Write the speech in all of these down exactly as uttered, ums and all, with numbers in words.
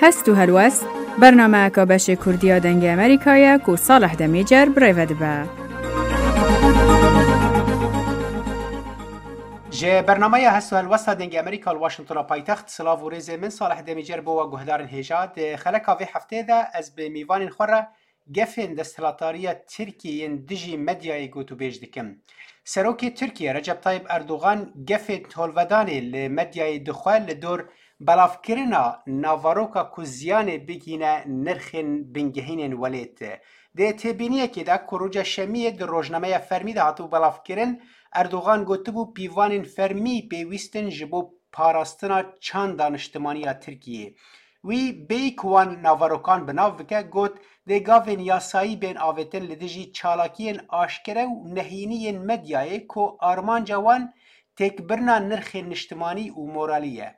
Hest û helwest, bernameyeka beşê Kurdî ya Dengê Amerîka ye ku Salih Demîcer bi rê ve dibe. Ji bernameya Hest û Helwesta Dengê Amerîka li Washingtona paytext, silav û rêzê min Salih Demîcer bo we guhdarên hêja. Di xeleka vê hefteyê de ez bi mîvanên xwe re gefên desthilatdariya Tirkiyê yên dijî medyayê gotûbêj dikim. Serokê Tirkiye Recep Tayyip Erdogan gefên tolvedanê li medyayê dixwe li dor belavkirina navaroka ku ziyanê bigihîne nirxên bingehînên welêt. Di têbîniyekê de ku roja Şemiyê di rojnameya fermî de hatibû belavkirin, Erdogan gotibû pîvanên fermî pêwîst in ji bo parastina çanda niştimanî ya Tirkiyê. Wî bêyî ku wan navarokan bi nav bike, got, dê gavên yasayî bên avêtin li dijî çalakiyên aşkere û nehînî yên medyayê ku armanca wan têkbirina nirxên niştimanî û moralî ye.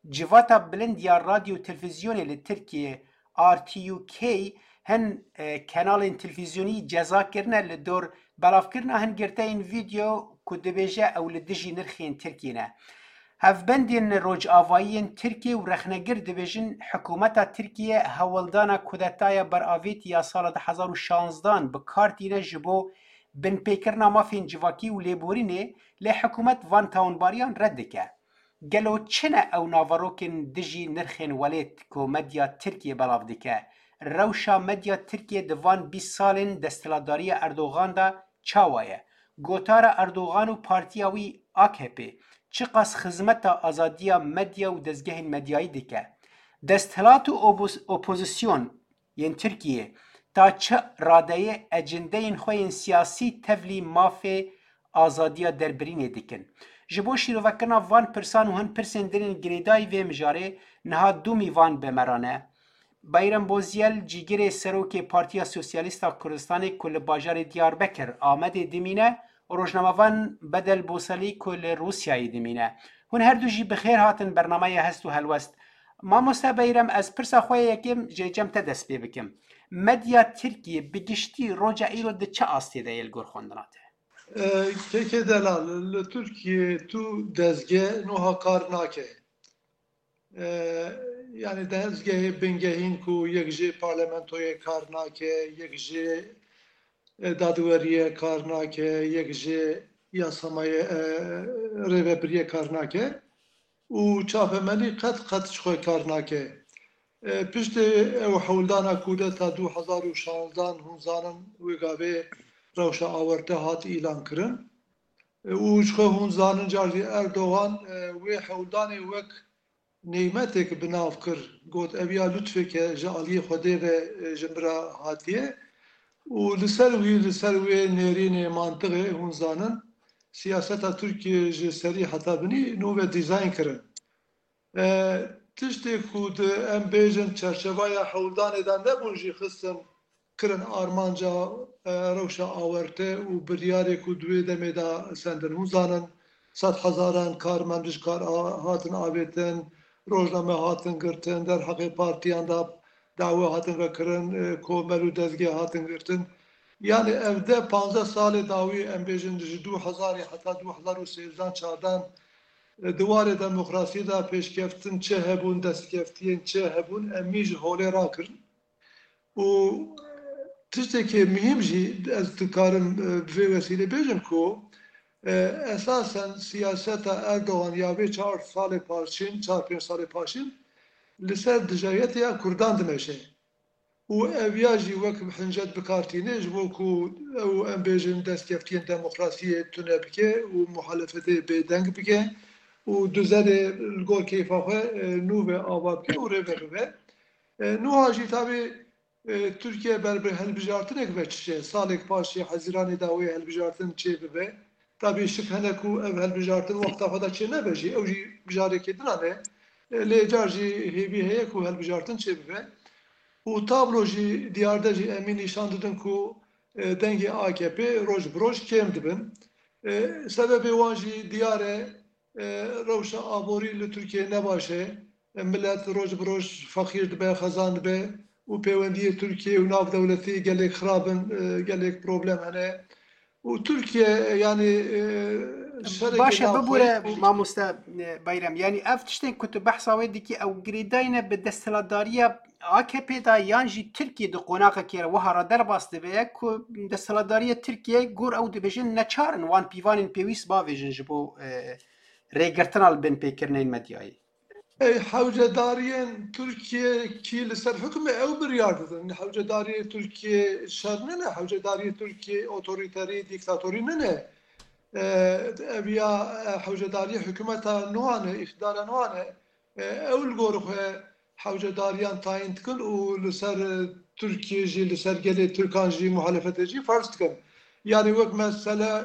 Civata bilind ya radyo û televîzyonê li Tirkiyê, R T U K, hin, e, kanalên televîzyonî ceza kirine li dor belavkirina hin girteyên vîdeo ku dibêje ew li dijî nirxên Tirkiyê ne. Hevbendên rojavayî yên Tirkiyê û rexnegir dibêjin, hikûmeta Tirkiyê hewldana kudetaya beravêtî ya sala du hezar û şanzdan bi kar tîne ji bo binpêkirina mafên civakî û lêborînê, lê hikûmet van tawanbariyan red dike. Gelo çi ne ew naverokên dijî nirxên welêt ku medya Tirkiyê belav dike? Rewşa medya Tirkiyê di van bîst salên desthilatdariya Erdogan de çawa ye? Gotara Erdogan û partiya wî A K P çiqas xizmeta azadiya medya û dezgehên medyayî dike? Desthilat û obos-, opozisyon yên Tirkiyê ta çi radeyê ecindeyên xwe yên siyasî tevlî mafê azadiya derbirînê dikin? Ji bo şîrovekirina van pirsan û hin pirsên din ên girêdayî vê mijarê niha du mîvan bi me re ne. Beyrem Bozyel, cîgirê serokê Partiya Sosyalîst a Kurdistanê ku li bajarê Diyarbekir, Amedê dimîne, û rojnamevan Bedel Boselî ku li Rûsyayê dimîne. Hûn her du jî bi xêr hatin bernameya Hest û Helwest. Mamoste Beyrem, ez pirsa xwe yê yekem jê cem te dest pê bikim. Medya Tirkiyê bi giştî roja îro di çi astê de ye li gor xwendina te? E, Kekê Delal, li Tirkiyê tu dezge nuha kar nake. E, yanî dezgehê bingehîn ku yek jê parlamentoyê kar nake, yek jê, e, dadweriyê kar nake, yek jê yasamayê, e, rêvebiriyê kar nake û çapemenî qet qet ji xwe kar nake. E, piştê ew hewldana kudeta du hezar û şanzdan hûn zanin wê gavê rewşa awarte hat îlan kirin. E, û ji xwe hûn zanin car jî Erdogan, e, wê hewldanê wek nêmetek bi nav kir. Got, ev ya lutfeke ji aliyê Xwedê ve, e, ji min re hatiye. Û li ser wî, li ser wê nêrînê, mantiqê, hûn zanin, siyaseta Tirkiyê ji serî heta binî nû ve dîzayn kirin. E, tiştê ku di, em bêjin, çerçeveya hewldanê de nebûn jî xistin, kirin armanca, e, rewşa awarte û biryarê ku di wê demê de sendin. Hûn zanin, sed hezaran karmend ji kar a-, hatin avêtin, rojname hatin girtin, derheqê partiyan de dawe hatin vekirin, e, komel û dezgeh hatin girtin. Yanî ev deh panzdeh salê dawî, em bêjin, ji du hezarê heta du hezar û sêzdan çardan, e, di warê demokrasiyê de pêşkeftin çi hebûn, destkeftiyên çi hebûn, em mî ji holê rakirin. Û tiştekê muhîm jî ez dikarim, e, bi vê wesîlê bêjim ku, e, esasen siyaseta Erdogan ya vê çar salê paşîn, çar pênc salê paşîn li ser dijayetiya Kurdan dimeşe. Û ev ya jî wek hincet bi kar tîne ji bo ku ew, em bêjin, destkeftiyên demokrasiyê tune bike û muhalefetê bêdeng bike û duzerê li gor keyfa xwe, e, nû ve ava bike û rê ve bibe. E, nuha jî tabî, e, Tirkiye ber bi hilbijartinek ve diçe. Salek paşê Hezîranê de wê hilbijartin çêbibe. Tabî şik hene ku ev hilbijartin wexta xwe de çênebe jî. Ew jî mijarekê din e. E, lê car jî hêvî heye ku hilbijartin çêbibe. Û tablo jî diyar de jî em ê nîşan didin ku, e, dengê A K P roj bi roj kêm dibin. E, sebebê wan jî diyar e, e, rewşa aborî li Tirkiyê ne baş e. E, milet roj bi roj feqîr dibe, xezan dibe û pêwendiyê Tirkiyê û navdewletî gelek xirab in, e, gelek problem hene. Û Tirkiye, yanî, e, Baş e, bibûre mamoste, e, Bayrem. Yanî ev tiştên ku tu behsa wê dikî, ew girêdayî ne bi desthilatdariya A K P de yan jî Tirkiye di qonaxekê re wiha re derbas dibe ku desthilatdariya Tirkiye gor ew dibêjin neçar in wan pîvanên pêwîst bavêjin ji bo, e, rêgirtina li bin pêkirinên medyayê. Ey, hewcedariyên Tirkiye kî li ser hukm e, ew biryar didin. Hewcedariyê Tirkiye şer nine, hewcedariyê Tirkiye otorîterî, dîktatorî nine. E, ev ya, e, hewcedariyê hikûmeta nû ne, îqtidara nû ne. E, ew li gor xwe hewcedariyan tayîn dikin û li ser, e, Tirkiye jî, li ser gelê Tirkan jî, muhalefetê jî ferz dikin. Yanî wek mesele,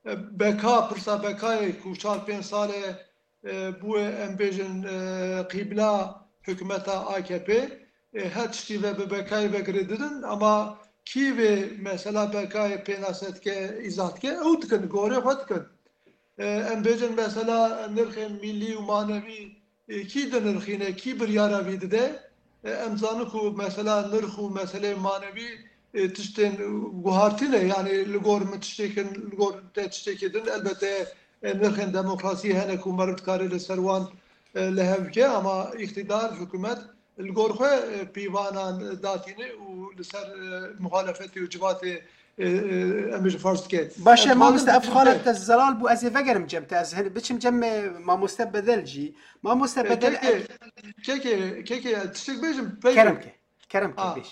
e, beka, pirsa bekayê ku çar pênc sal e, e, bûye, em bêjin, e, qîbla hikûmeta A K P, e, her tiştî ve bi bekayê ve girê didin, ama kî vê mesela bekayê pênase dike, îzah dike, ew dikin, gorê xwe dikin. E, em bêjin mesela nirxên milî û manevî, e, kî dinirxîne, kî biryara vî dide? E, em zanin ku mesela nirx û meseleyê manevî, e, tiştên guhartî ne. Yanî li gor min tiştêkin, li gor te tiştekî din, elbette, e, nirxên demokrasiyê hene ku meriv dikare li ser wan, e, li hev bike, ama îqtidar, hikûmet li gor xwe, e, pîvanan datîne û li ser, e, muhalefetê û civatê, e, e, em bêjin farz dike. Baş e, mamoste, ev xalet te zelal bû, ez ê vegerim cem te, ez hin-, biçim cem, e, mamoste Bedel jî. Mamoste Bedel, kekê, kekê, kekê, tiştek bêjim, peyvê. Kerem ke, kerem ke, bêj.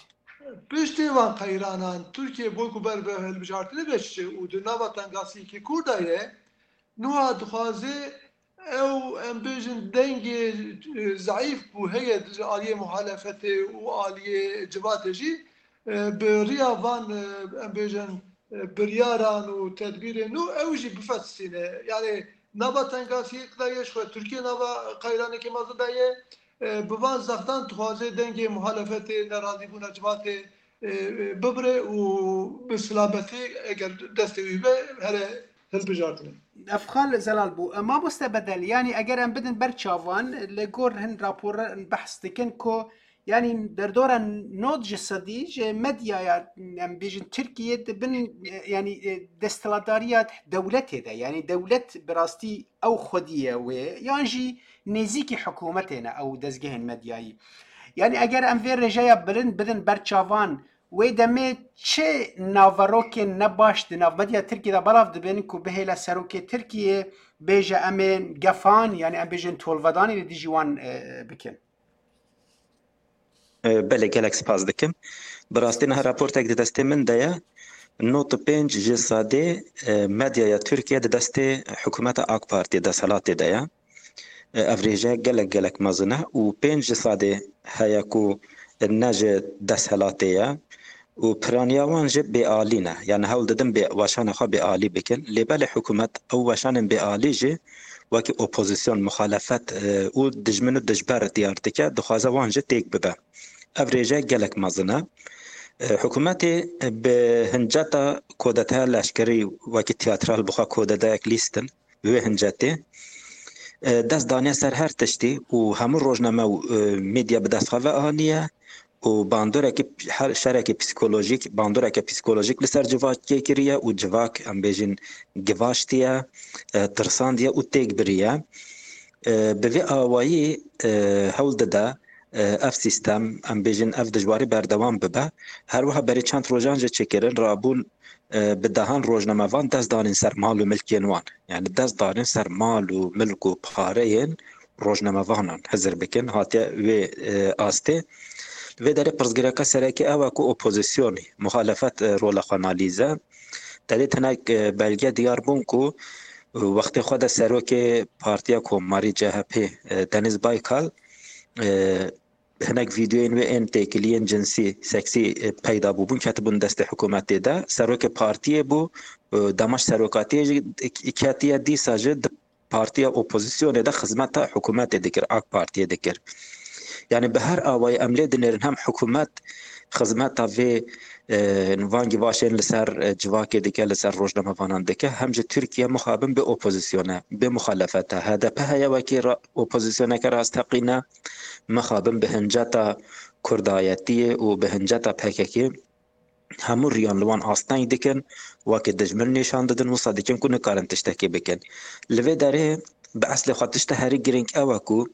Piştî van qeyranan, Tirkiye bo ku ber bi hilbijartinê ve çi û di nava tengasiyekî kûr de ye, niha dixwaze ew, em bêjin, dengê, e, zeîf bû heye ji aliyê muhalefetê û aliyê civatê jî, e, bi riya van, e, em bêjin, e, biryaran û tedbîrên nû ew jî bifetisîne. Yanî nava tengasiyek de ye, ji xwe Tirkiye nava qeyranekê mezin de ye. E, bi van zextan dixwaze dengê muhalefetê, nerazîbûna civatê, e, e, bibire û bi silametî eger destê wî be here hilbijartinê. Ev xal zelal bû. E, mamoste Bedel, yanî eger em bidin ber çavan, li gor hin raporan behs dikin ku, yanî derdora nod ji sedî ji medyaya, em bêjin, Tirkiye di bin, e, yanî, e, desthilatdariya dewletê de, yanî dewlet bi rastî ew xwedî ye wê, yan jî nêzîkî hikûmetê ne ew dezgehên medyayî. Yanî eger em vê rêjeya bilind bidin ber çavan, wê demê çi naverokên nebaş di nav medya Tirkiyê de belav dibin ku bihêle serokê Tirkiyê bêje em ê gefan, yanî em bêjin tolvedanê li dijî wan, e, bikin? E, belê, gelek spas dikim. Bi rastî niha raportek di destê min de ye. Nod û pênc ji sedê, e, medyaya Tirkiye di destê hikûmeta AK Partiyê, desthilatê de ye. E, ev rêje gelek, gelek mezin e û pênc ji sedê heye ku ne ji desthilatê ye û piraniya wan jî bêalî ne. Yani hewl didin bê weşana xwe bêalî bikin. Lê belê hikûmet ew weşanên bêalî jî wekî opozîsyon, muxalefet, e, û dijmin û dijber diyar dike, dixwaze wan jî têk bibe. Ev rêje gelek mezin e. E, hikûmetê bi hinceta kodeteya leşkerî wekî tiyatral bi xwe kodeteyek lîstin, wê hincetê, e, dest daniye ser her tiştî û hemû rojname û, e, medya bi dest xwe ve aniye û bandoreke, her şereke psîkolojîk, bandoreke psîkolojîk li ser civakê kiriye û civak, em bêjin, givaştiye, e, tirsandiye û têk biriye. E, bi vê awayî, e, hewl dide, e, ev sîstem, em bêjin, ev dijwarî berdewam bibe. Her wiha berî çend rojan jî çêkirin rabûn, e, bi dehan rojnamevan dest danîn ser mal û milkên wan. Yani dest danîn ser mal û milk û pareyên rojnamevanan, hizir bikin, hatiye wê, e, astê. Li vê derê pirsgirêka sereke ew e ku opozisyonê, muxalefet, e, rola xwe nalîze. Te dît hinek, e, belge diyar bûn ku, e, wextê xwe de serokê Partiya Komarî, C H P, e, Deniz Baykal, e, hinek vîdeoyên wê ên têkiliyên cinsî, seksî, e, peyda bûbûn, ketibûn destê hikûmetê de. Serokê partiyê bû, e, dema ji serokatiyê jî ketiye, dîsa jî di partiya opozîsyonê de xizmeta hikûmetê dikir, AK Partiyê dikir. Yani bi her awayî em lê dinêrin hem hikûmet xizmeta vê, e, van givaşên li ser, e, civakê dike, li ser rojnamevanan dike, hem ji Tirkiye mixabin bê opozîsyone, bê muxalefete. H D P heye wekî ra-, opozîsyoneke rasteqîne, mixabin bi hinceta kurdayetiyê û bi hinceta P K K. hemû riyan li wan asteng dikin, wekî dijmin nîşan didin, wisa dikin ku nikarin tiştekê bikin. Li vê derê bi eslê xwe tişta herî girîng ew e ku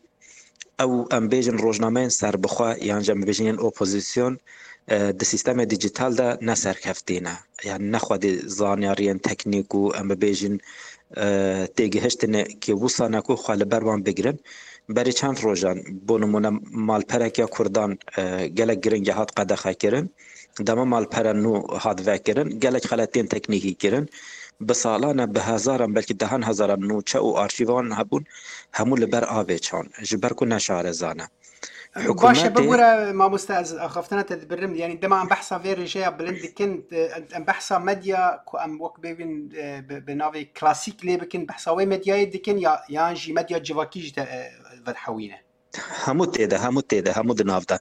ew, em bêjin, rojnameyên serbixwe yan jî em bêjin yên opozîsyon, e, di sîstemê dîjîtal de ne serkeftî ne. Yani ne xwedî zanyariyên teknîk û em bibêjin, e, têgihiştinê kê wisa ne ku xwe li ber wan bigirin. Berî çend rojan, bo nimûne, malperek ya Kurdan, e, gelek giring e hat qedexekirin. Dema malpera nû hat vekirin, gelek xeletiyên teknîkî kirin. Bi salan e, bi hezaran, belkî dehan hezaran nûçe û arşîvan hebûn, hemû li ber avê çan, ji ber ku ne şareza ne. Baş e, Hikûmetê bibûre, mamoste, ez axaftina te dibirim. Yani dema em behsa vê rêjeya bilind dikin, e, em behsa medya ku em wek bêbin, e, bi, bi navê klasîk lê bikin, behsa wê medyayê dikin ya, yan jî medya civakî jî te, e, vedihewîne? Hemû tê de, hemû tê de, hemû di nav de.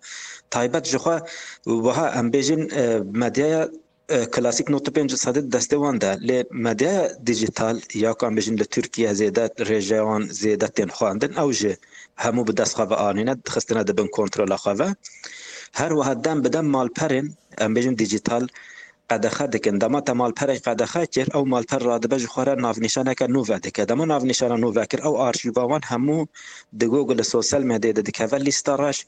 Taybet ji xwe wiha em bêjin, e, medyaya, e, klasîk nod û pênc sedî di destê wan de. Lê medyaya dîjîtal, ya ku em bêjin li Tirkiye zêde rêjeya wan zêde tên xwendin, ew jî hemû bi dest xwe ve anîne, dixistine di bin kontrola xwe ve. Her wiha dem bi dem malperên, em bêjin, dîjîtal qedexe dikin. Dema te malperek qedexe kir, ew malper radibe ji xwe re navnîşaneke nû vedike. Dema navnîşana nû vekir, ew arşîva wan hemû di Google, li sosyal medyayê de dikeve lîsta reş,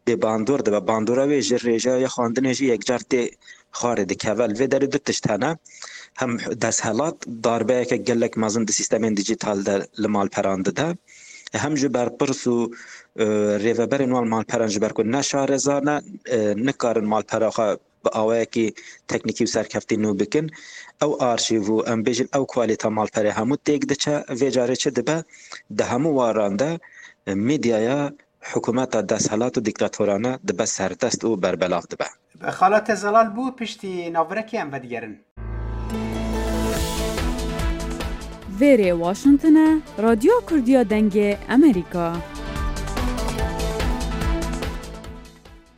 bê bandor dibe. Bandora wê ji rêjeya xwendinê jî yekcar tê xwarê dikeve. Li vê derê du tişt hene. Hem desthilat darbeyeke gelek mezin di sîstemên dîjîtal de li malperan dide. Hem ji berpirs û, e, rêveberên wan malperan, ji ber ku ne şareza ne, e, nikarin malpera xwe bi awayekî teknîkî û serkeftî nû bikin. Ew arşîv û, em bêjin, ew kwalîta malperê hemû têk diçe. Vê carê çi dibe? Di hemû waran de, e, medyaya hikûmeta desthilat û dîktatorane dibe serdest û berbelav dibe. Xala te zelal bû, piştî navirekê em vedigerin. Vêrê Washington e, Radyoya Kurdiya Dengê Amerîka.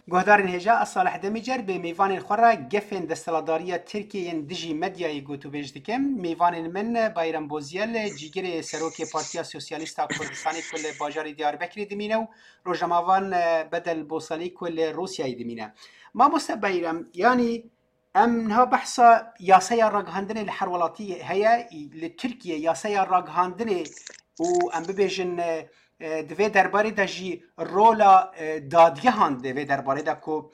Guhdarên hêja, ez Salih Demîcer bi mêvanên xwe re gefên desthilatdariya Tirkiyê yên dijî medyayê gotûbêj dikim. Mêvanên min Bayram Bozyel, cîgirê serokê Partiya Sosyalîst a Kurdistanê ku li bajarê Diyarbekirê dimîne û rojnamevan, e, Bedel Bosalî ku li Rûsyayê dimîne. Mamoste Bayram, yanî em niha behsa yaseya ragihandinê li her welatî heye. Li Tirkiye yaseya ragihandinê û em bibêjin, e, e, di vê derbarê de jî rola, e, dadgehan di vê derbarê de ku,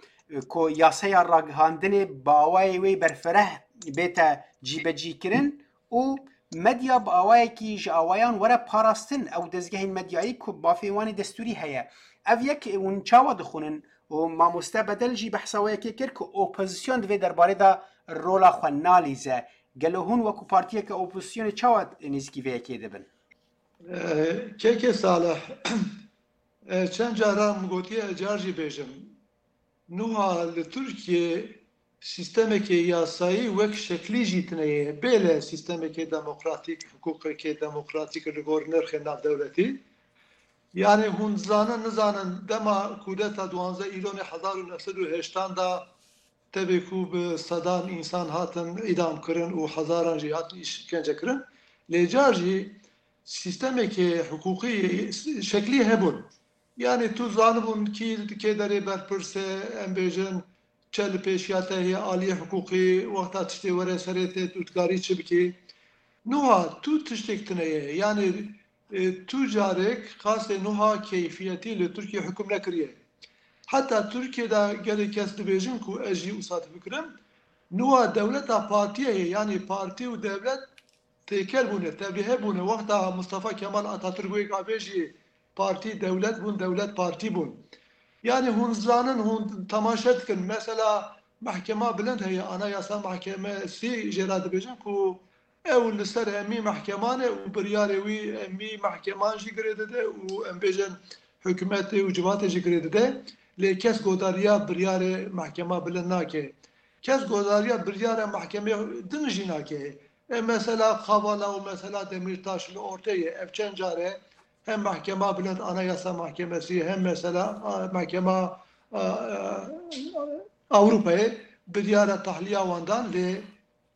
ku yaseya ragihandinê bi awayê wê berfireh bête cîbecîkirin û medya bi awayekî ji awayan were parastin, ew dezgehên medyayî ku mafên wan ê destûrî heye. Ev yek hûn çawa dixwînin? Û mamoste Bedel jî behsa wê yekê kir ku opozîsyon di vê derbarê de rola xwe nalîze. Gelo hûn wekû partiyeke opozîsyonê çawa nêzîkî vê yekê dibin? Ee, Kekê Salih, e, çend caran min gotiye, ez car jî bêjim. Nuha li Tirkiye sîstemekê yasayî wek şeklî jî tine ye. Bêle sîstemekê demokratîk, hiqûqekê demokratîk li gor nirxên navdewletî. Yani hûn dizanin, nizanin, dema kudeta duwanzdeh Îlonê hezar û neh sed û heştan de tevê ku bi sedan însan hatin îdam kirin û hezaran jî hatin îşkence kirin. Lê car jî sîstemekê hiqûqî şeklî hebûn. Yani tu zanibûn kî, kê derê berpirs e, em bêjin, çe li pêşiya te heye aliyê hiqûqî, wexta tiştê were serê te, tu dikarî çi bikî? Nuha tu tiştek tune ye. Yani, e, tu carek qasê nuha keyfiyetî li Tirkiye hukm nekiriye. Heta Tirkiye de gelek kes dibêjin ku ez jî wisa difikirim. Nuha dewleta partiyê ye, yani partî û dewlet têkel bûne, tevlîhe bûne. Wexta Mustafa Kemal Atatürk wê gavê jî partî dewlet bûn, dewlet partî bûn. Yani hûn zanin, hûn temaşe dikin. Mesela Mehkema Bilind heye, Anayasa Mahkemesi jê re dibêjin ku ew li ser hemî mehkeman e û biryarê wî hemî mehkeman jî girê dide û em bêjin hikûmetê û civatê jî girê dide. Lê kes godariya biryarê Mehkema Bilind nake. Kes godariya biryara mehkemê din jî nake. E, mesela Kavala û mesela Demîrtaş li ortê ye. Ev çend car e hem Mehkema Bilind, Anayasa Mahkemesi, hem mesela, a, Mehkema, a, a, Ewropayê biryara tahliya wan dan, lê,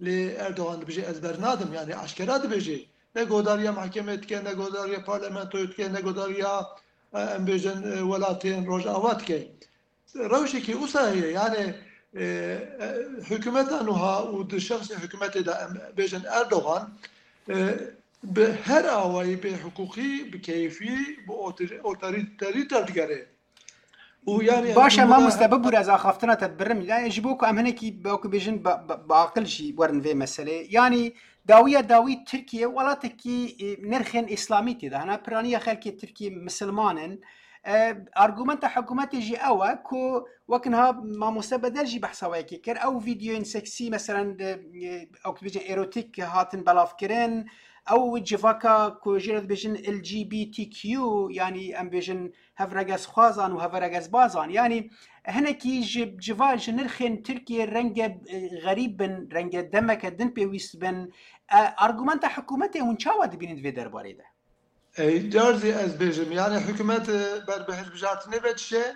lê Erdogan dibêje, ez bernadim, yani aşkera dibêje. Ne godariya mehkemê dike, ne godariya parlamentoyê dike, ne godariya, e, em bêjin, e, welatên Rojava dike. Rewşekî wisa heye, yani E, e, hikûmeta nuha û di şexsê hikûmetê de em bêjin Erdogan, e, bi her awayî bê hiqûqî, bi keyfî, bi otor-, otorîterî derdigere. Û yani Baş e, em bûna mamoste, bibûre ez axaftina te dibirim. Yani ji bo ku em hinekî, wekî bêjin, bi, bi, bi aqil jî werin vê meselê. Yani dawiya dawî Tirkiye welatekî, e, nirxên îslamî tê de hene. Piraniya xelkê Tirkiye misilman in. E, argumenta hikûmetê jî ew e ku wek niha mamoste Bedel jî behsa wê yekê kir. Ew vîdeoyên seksî, meselen, de, e, ew dibêjin erotîk hatin belavkirin. Ew civaka ku jê re dibêjin L G B T Q, yani em bêjin hevregezxwazan û heveregezbazan. Yani hinekî ji civa, ji nirxên Tirkiye renge, e, xerîb bin, renge demeke din pêwîst bin. E, argumenta hikûmetê hûn çawa dibînin di vê derbarê de? Ey, car zî ez bêjim, yani hikûmet, e, ber bi hilbijartinê ve dişe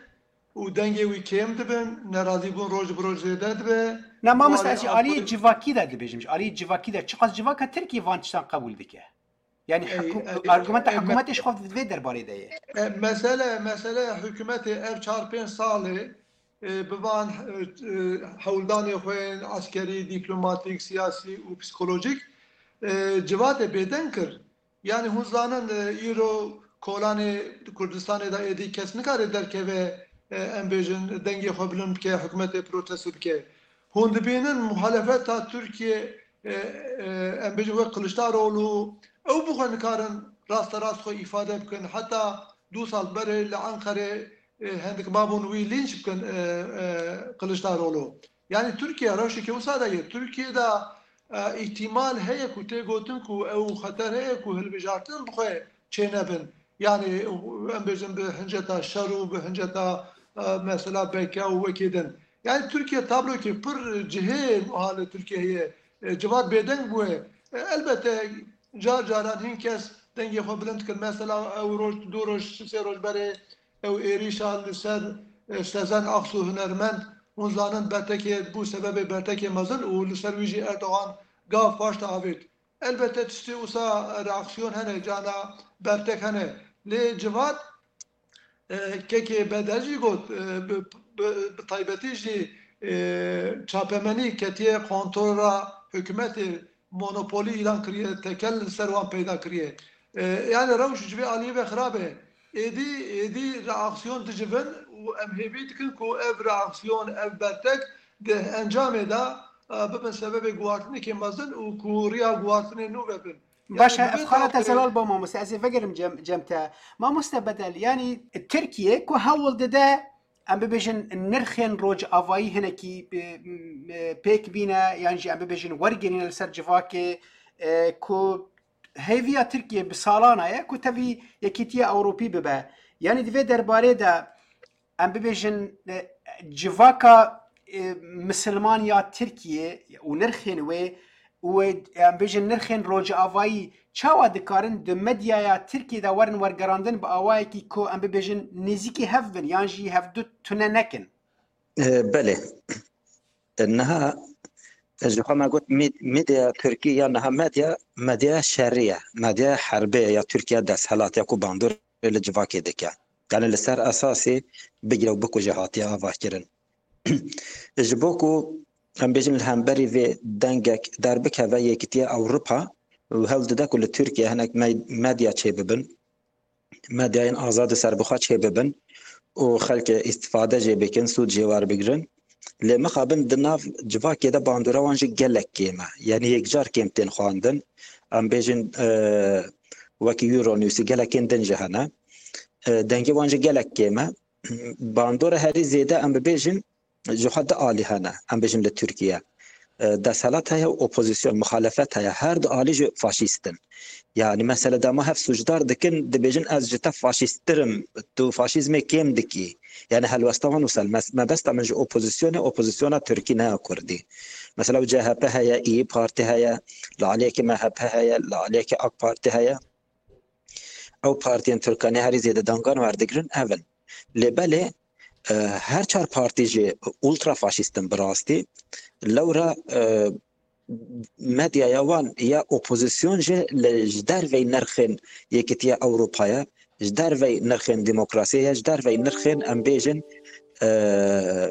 û dengê wî kêm dibin, nerazîbûn roj bi roj zêde dibe. Na, mamoste, Û ez ji alî aliyê civakî de dibêjim, ji aliyê civakî de çiqas civaka Tirkiye van tiştan qebûl dike? Yani Ey, hikû-, e, argumenta e, me- hikûmetê ji xwe di vê derbarê de ye. E, mesele, mesele hikûmetê ev çar pênc salê, e, bi van, e, e, hewldanê xwe yên eskerî, dîplomatîk, siyasî û psîkolojîk, e, civatê bêdeng kir. Yani hûn zanin, e, îro kolanê Kurdistanê de êdî kes nikare derkeve, e, em bêjin dengê xwe bilind bike, hikûmetê protesto bike. Hûn dibînin muhalefeta Tirkiye, e, e, em bêjin wek Kiliçdaroglu, ew bi xwe nikarin rasterast xwe îfade bikin. Heta du sal berê li Enqerê, e, hindik mabûn wî lînç bikin, e, e, Kiliçdaroglu. Yani Tirkiye rewşeke wisa de ye. Tirkiye de, e, îhtimal heye ku tê gotin ku ew xeter heye ku hilbijartin bi xwe çênebin. Yani em bêjin bi hinceta şer û bi hinceta, e, mesela B K û wekî din. Yani Tirkiye tablokê pir cihê wiha li Tirkiye heye. E, civat bêdeng bûye. E, elbette car caran hin kes dengê xwe bilind dikin. Mesela ew roj, du roj, sê roj berê ew êrîşa li ser, e, Sezen Aksu hunermend, hûn zanin bertekê bû sebebê bertekê mezin û li ser wî jî Erdogan gav paş de avêt. Elbette tiştê wisa reaksiyon hene, cana bertek hene. Lê civat, e, kekê Bedel jî got, e, bi, bi, bi taybetî jî, e, çapemenî ketiye kontrola hikûmetê, monopolî îlan kiriye, tekel li ser wan peyda kiriye. E, yani rewş ji vê aliyê ve xirab e. Êdî, êdî reaksiyon dicivin û em hêvî dikin ku ev reaksiyon, ev bertek di encamê de, e, bibin sebebê guhartinekê mezin û ku riya guhartinê nû vebin. Baş e, yani, ev xala te zelal ba mamoste, ez ê vegerim cem, cem te. Mamoste Bedel, yani Tirkiye ku hewl dide, em bibêjin, nirxên rojavayî hinekî, e, m-, e, pêk bîne, yan jî em bibêjin wergirîne li ser civakê, e, ku hêviya Tirkiye bi salan e ku tevî Yekîtiya Ewropî bibe. Yanî di vê derbarê de em bibêjin, e, civaka, e, misilman ya Tirkiye û nirxên wê û em bêjin nirxên rojavayî çawa dikarin di medyaya Tirkiyê de werin wergerandin bi awayekî ku em bibêjin nêzîkî hev bin yan jî hevdu tune nekin? E, belê. E, niha, e, ji xwe me got med-, medya Tirkî ya niha medya, medya şerî ye, medya herbê ye ya Tirkiye desthilat ya ku bandorê li civakê dike. Yani li ser esasê bigire û bikuje hatiye avakirin. Ji bo ku em bêjin li hemberî vê dengek derbikeve Yekîtiya Ewropa û hewl dide ku li Tirkiye hinek me-, medya çêbibin, medyayên azad û serbixwe çêbibin û xelkê îstifade jê bikin, sûd jê werbigirin. Lê mixabin di nav civakê de bandora wan jî gelek kêm e. Yanî yekcar kêm tên xwendin. Em bêjin, e, wekî Euronewsî gelekên din jî hene. E, dengê wan jî gelek kêm e. Bandora herî zêde em bibêjin ji xwe du alî hene, em bêjin li Tirkiye. E, desthilat heye û opozîsyon, muxalefet heye. Her du alî jî faşîst in. Yani mesele dema hev sûcdar dikin, dibêjin ez ji te faşîsttir im, tu faşîzmê kêm dikî. Yani helwesta wan wisa, mes-, mebesta min ji opozîsyonê, opozîsyona Tirkî ne ya Kurdî. Mesela C H P heye, İYİ Parti heye, li aliyekî M H P heye, li aliyekî AK Parti heye. Ew partiyên Tirkanî herî zêde dangan werdigrin ev in. Lê belê, e, her çar partî jî ultrafaşîst in bi rastî. Lewra, e, medyaya wan ya opozîsyon jî li, ji dervey nirxên Yekîtiya Ewropayê, ji dervey nirxên demokrasiyê ye, ji dervey nirxên, em bêjin, e,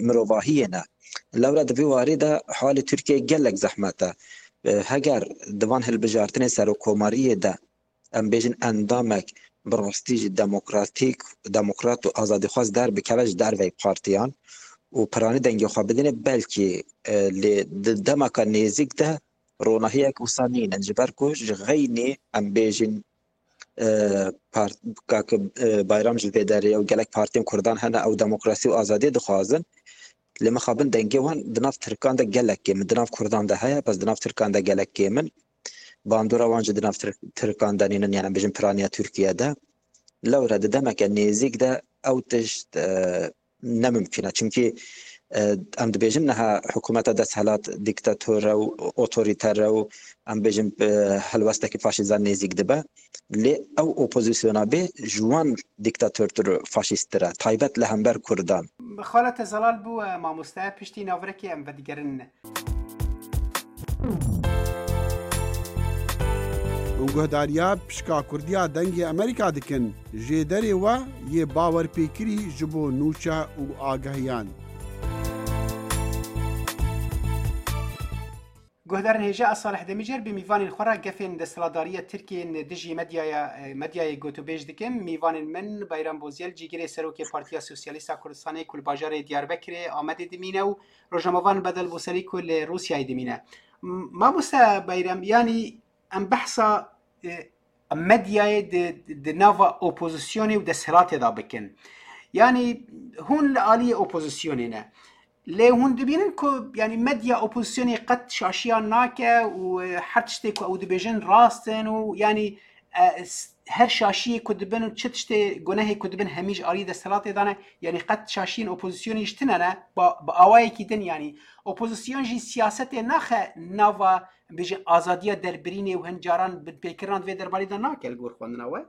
mirovahiyê ne. Lewra di vî warî de halê Tirkiyeyê gelek zehmet e. E, heger di van hilbijartinên serokkomariyê de, em bêjin, endamek bi rastî jî demokratîk, demokrat û azadîxwaz derbikeve ji derveyî partiyan û piranî dengê xwe bidîne, belkî, e, lê di demeka nêzîk de ronahiyek wisa nînin, ji ber ku ji xeynî, em bêjin, e, part-, kak, e, Bayram jî vê derê ye û gelek partiyên Kurdan hene, ew demokrasî û azadiyê dixwazin. Lê mixabin dengê wan di nav Tirkan de gelek kêm in, di nav Kurdan de heye, bes di nav Tirkan de gelek kêm in. Bandora wan jî di nav Tir-, Tirkan de nînin, yani, em bêjin piraniya Tirkiye de. Lewre di demeke nêzîk de ew tişt, e, ne mimkîn e. Çimkî, e, em dibêjin niha hikûmeta desthilat dîktator e û otorîter e û, em bêjin, e, helwestekî faşîzan nêzîk dibe. Lê ew opozisyona bê ji wan dîktatortir û faşîsttir e, taybet li hember Kurdan. Xala te zelal bû, e, mamoste, piştî navirekê em vedigerin. Hûn guhdariya pişka Kurdiya Dengê Amerîka dikin. Jêderê we yê bawerpêkirî ji bo nûçe û agehiyan. Guhdarên hêja, ez Salih Demîcer bi mîvanên xwe re gefên desthilatdariya Tirkiyê yên dijî medyaya, medyayê gotûbêj dikim. Mîvanên min Bayram Bozyel, cîgirê serokê Partiya Sosyalîst a Kurdistanê ku li bajarê Diyarbekirê, Amedê dimîne û rojnamevan Bedel Boserî ku li Rûsyayê dimîne. M-, Mamoste Bayram, yanî em behsa, e, medyayê di, di nava opozisyonê û desthilatê de bikin. Yanî hûn li aliyê opozisyonê ne. Lê hûn dibînin ku, yanî, medya opozisyonê qet şaşiyan nake û, e, her tiştê ku ew dibêjin rast in û, yanî, e, s-, her şaşiyê ku dibin û çi tiştê gunehê ku dibin hemî ji alî desthilatê de ne, yanî qet şaşiyên opozisyonê ji tune ne, ba-, bi awayekî din, yanî opozisyon jî siyasetê naxe nava, bêjin, azadiya derbirînê û hin caran binpêkirina di vê derbarî de nake li gor xwendina we?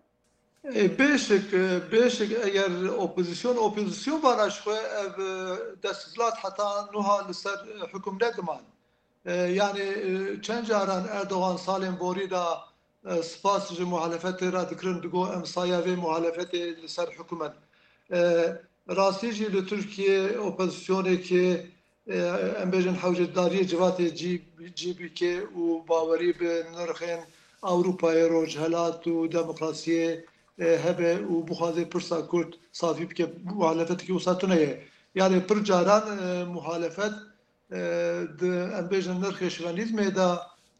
E, bêşik, e, bêşik eger opozisyon, opozisyon vana ji xwe ev, e, desthilat heta nuha li ser, e, hukum nediman. E, yani, e, çend caran Erdogan salên borî de, e, spas ji muhalefetê re dikirin, digo em saya vê muhalefetê li ser hukum in. E, rastî jî li Tirkiye opozisyonekê e, em bêjin hewcedariyê civatê G-, G B K û bawerî bi nirxên Ewropayê, Rojhelat û demokrasiyê, e, hebe û bixwaze pirsa Kurd safî bike, muhalefetekî wisa tune ye. Yani pir caran, e, muhalefet, e, di, em bêjin, nirxê şivenîzmê de,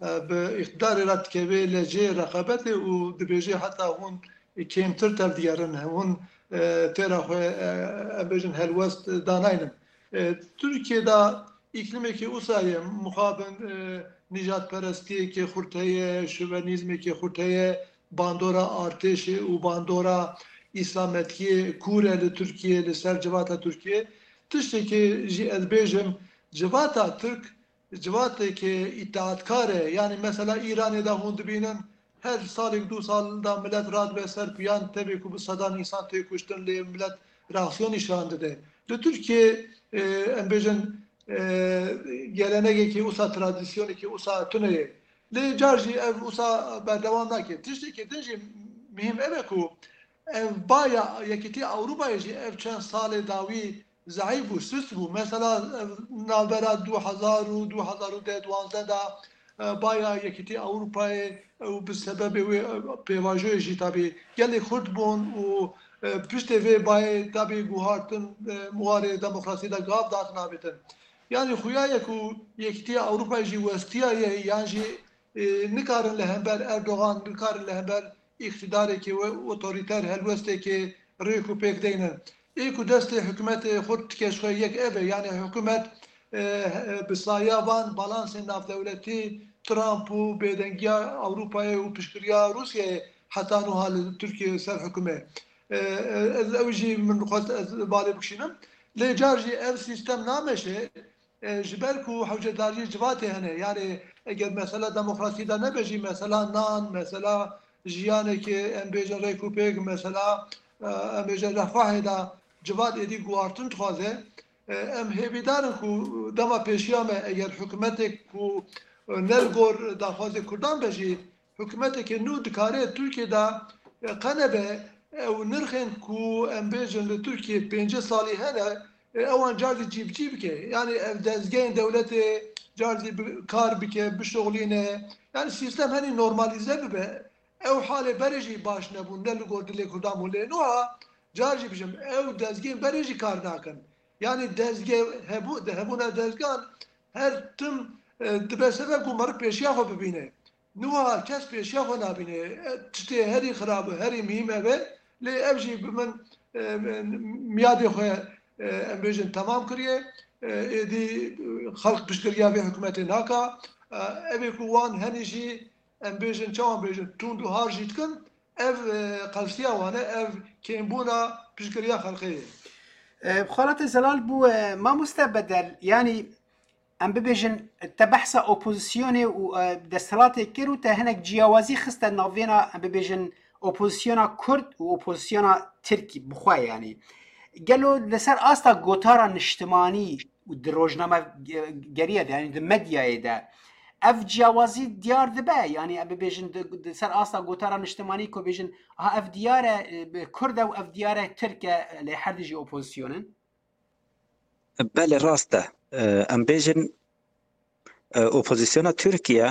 e, bi îqtidarê re dikeve lecê reqabetê û dibêje heta hûn kêmtir tevdigerin, hûn, e, têra xwe, e, em bêjin, helwest danaynin. E, Tirkiye de îklimekî usa ye, mixabin, e, nîjadperestiyekê xurt heye, şovenîzmekê xurt heye, bandora artêşê û bandora îslametiyê kûr e li Tirkiye, li ser civata Tirkiye. Tiştekê jî ez bêjim, civata Tirk civateke îtaatkar e. Yani mesela Îranê de hûn dibînin, her salek, du sal de milet radibe ser piyan, tevê ku bi sedan însan tê kuştin, lê milet reaksiyon nîşan dide. Li Tirkiye, e, em bêjin, e, gelenegekî usa, tradisyonekî usa tune ye. Lê car jî ev usa berdewam nake. Tiştekî din jî muhîm ev e ku ev baya Yekîtiya Ewropayê jî ev çend salê dawî zeîf bû, sist bû. Mesela, ev navbera du hezar û du hezar û deh duwazdeh de, e, baya Yekîtiya Ewropayê û bi sebebê wê, e, pêvajoyê jî tabî gelê xurt bûn û, e, piştê vê bayê tabî guhartin, e, warê demokrasî de gav datin avêtin. Yani xuya ye ku Yekîtiya Ewropayê jî westiyaye yan jî, e, nikarin li hember Erdogan, nikarin li hember îqtidareke we otorîter, helwesteke rêk û pêk deynin. Ê ku destê hikûmetê xurt dike ji xwe yek ev e, yani hikûmet, e, e, bi saya van balansên navdewletî, Trump û bêdengiya Ewropayê û piştgiriya Rûsyayê heta nuha li Tirkiye ser hikûm e. E, e, ez ew jî min xwest ez balê bikişînim. Lê car jî ev sîstem nameşe. E, ji ber ku hewcedariyê civatê hene, yani eger mesela demokrasî de nebe jî, mesela nan, mesela jiyanekê, em bêjin, rêk û pêk, mesela, e, em bêjin, refahê de civat êdî guhartin dixwaze. E, em hêvîdar in ku dema pêşiya me, eger hikûmetek ku, e, ne li gor daxwazê Kurdan be jî, hikûmeteke nû dikare Tirkiye de, e, qe nebe, ew nirxên ku em bêjin li Tirkiye pêncî salî hene, E, ewan car jî cîbicî bike. Yani ev dezgehên dewletê car jî bi kar bike, bişoxlîne. Yani sîstem henî normalîze bibe. Ew halê berê jî baş nebûn, ne li gor dilê Kurdan bûn. Lê nuha car jî bijim, ew dezgehên berê jî kar nakin. Yani dezgeh hebû, di hebûna dezgehan her tim, e, dibe sebeb ku meriv pêşiya xwe bibîne. Niha kes pêşiya xwe nabîne. E, tiştê herî xirab û herî mihîm ev e. Lê ev jî bi min, e, miyadê xwe, e, em bêjin temam kiriye. E, êdî, e, xelk piştgiriya vê hikûmetê naka. E, ev ê ku wan henî jî, em bêjin, çawan bêjin, tund û har jî dikin, ev, e, qelsiya wan e, ev kêmbûna piştgiriya xelkê ye. E, xalatê Zelal bû, e, mamoste Bedel, yanî em bibêjin, te behsa opozisyonê û, e, desthilatê kir û te hinek ciyawazî xiste navêna, em bibêjin, opozisyona Kurd û opozisyona Tirkî bi xwe, yanî. Gelo li ser asta gotara niştimanî û di rojnamegeriya de, yanî di medyayê de, ev ciyawazî diyar dibe, yanî em bibêjin di, di ser asta gotara niştimanî ku bêjin, ha ev diyar e, e, Kurd e û ev diyar e Tirk e, lê her dijî opozisyon in? Belê, rast e. E, em bêjin, e, opozisyona Tirkiye,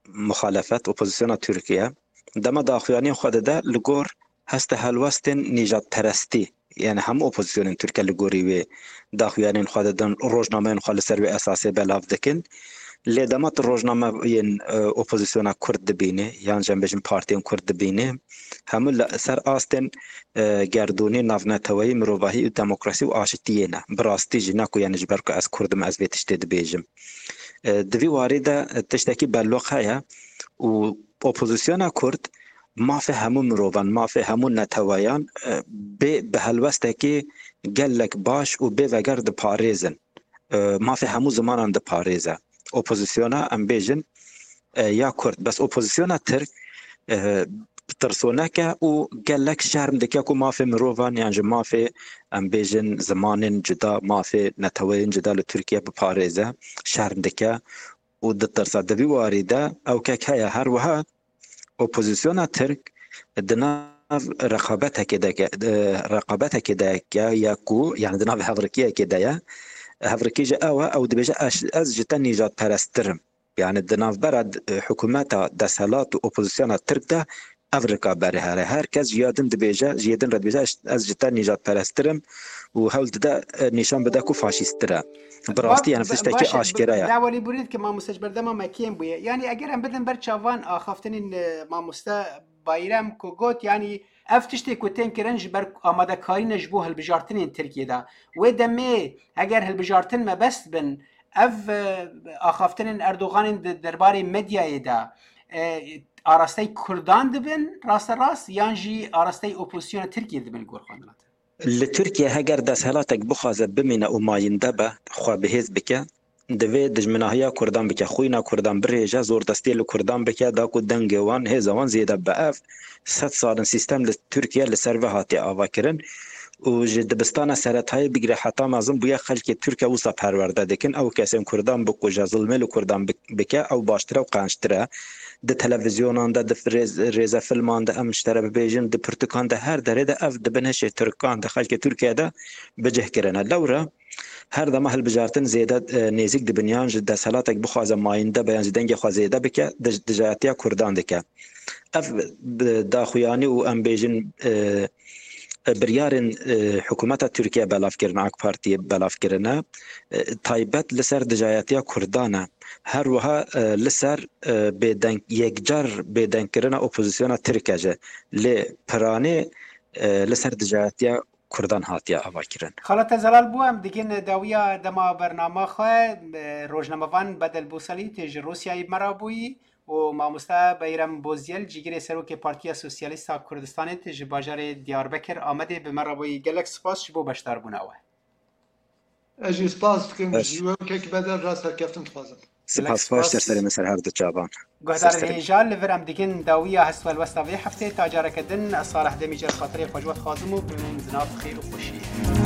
muxalefet, opozisyona Tirkiye, dema daxuyaniyên xwe dide li gor heste helwestên nîjadperestî, yani hemû opozisyonên Tirkiye li gorî wê daxuyaniyên xwe didin, rojnameyên xwe li ser wê esasê belav dikin. Lê dema tu rojnameyên, e, opozisyona Kurd dibînî, yan jî em bêjin partiyên Kurd dibînî, hemû li ser astên, e, gerdûnî, navneteweyî, mirovahî û demokrasî û aşitiyê ne. Bi rastî jî ne ku, yani ji ber ku ez Kurd im, ez vê tiştê dibêjim. E, di vî warî de, e, tiştekî belloq heye û opozisyona Kurd mafê hemû mirovan, mafê hemû neteweyan, e, bê bi helwestekî gelek baş û bê veger diparêzin. E, mafê hemû zimanan diparêze. Opozisyona, em bêjin, e, ya Kurd. Bes opozisyona Tirk, e, tirsoneke û gelek şerm dike ku mafê mirovan yan ji mafê, em bêjin, zimanên cuda, mafê neteweyên cuda li Tirkiye biparêze, şerm dike û ditirse. Di vî warî de ew kek heye. Her wiha opozisyona Tirk di nav reqabetekê de ke-, e, reqabetekê de ke-, ya ku, yani di nav hevrikiyekê de ye. Hevrikî ji ew e, ew dibêje, "Ez, ez ji te nîjadperesttir im." Yani di navbera d-, e, hikûmeta desthilat û opozisyona Tirk de ev rikaberî here. Her kes ji ya din dibêje, ji yê din re dibêje, "Ez, ez ji te nîjadperesttir im" û hewl dide, e, nîşan bide ku faşîsttir e. Bi rastî, yani, tiştekî aşkere ye. Dawalî burî dike, mamoste, ji berdema me kêm bûye. Yani eger em bidin ber çavan axaftinên, e, mamoste Bayrem ku got, yani ev tiştê ku tên kirin ji ber amadekarî ne ji bo hilbijartinên Tirkiyê de. Wê demê eger hilbijartin mebest bin, ev, e, axaftinên Erdoganên di derbarê medyayê de, e, arastey Kurdan dibin rasterast yan jî arastey opozisyona Tirkiyê dibin li gor xwendina te? Li Tirkiye heger desthelatek bixwaze bimîne û mayînde be, xwe bihêz bike, divê dijminahiya Kurdan bike, xwîna Kurdan birêje, zordestiyê li Kurdan bike, da ku dengê wan, hêza wan zêde bibe. Ev sed sal in sîstem li Tirkiye li ser ve hatiye avakirin û ji dibistana seretayê bigire heta mezin bûye xelkê Tirkiye wisa perwerde dikin. Ew kesên Kurdan bikuje, zilmê li Kurdan bik-, bike, ew baştir e û qençtir e. Di televîzyonan de, di rêz-, rêzefilman de, em ji te re bibêjin, di pirtûkan de, her derê de ev di bin hişê Tirkan de, xelkê Tirkiye de bicih kirine. Lewra her dema hilbijartin zêde, e, nêzîk dibin, yan ji desthelatek bixwaze mayînde be, yan ji dengê xwe zêde bike, dij-, dijayetiya Kurdan dike. Ev bi daxuyanî û, em bêjin, e, e, biryarên, e, hikûmeta Tirkiye belav kirin, AK Partiyê belav kirine, e, taybet li ser dijayetiya Kurdan e. Her wiha, e, li ser, e, bêdeng, yekcar bêdengkirina opozisyona Tirk e jî. Lê piranê, e, li ser dijayetiya Kurdan hatiye avakirin. Xala te zelal bû, em digin dawiya dema bernama xwe, e, rojnamevan Bedel Bosalî tê ji Rûsyayê bi me re bûyî û mamoste Beyrem Bozyel, cîgirê serokê Partiya Sosyalîst a Kurdistanê tê ji bajarê Diyarbekir Amedê bi me re bûyî. Gelek spas ji bo beşdarbûna we. Ez jî spas dikim, ji we û kek Bedel re serkeftin dixwazim. Spas xweş, ser serê min, ser her du çavan. Guhdarên hêja, li vir em digin dawiya hest û helwesta vê heftê, ta careke din, ez Salih Demîc, ez xatirê xwe ji we dixwazim û bimînin di nav xêr û xweşiyê.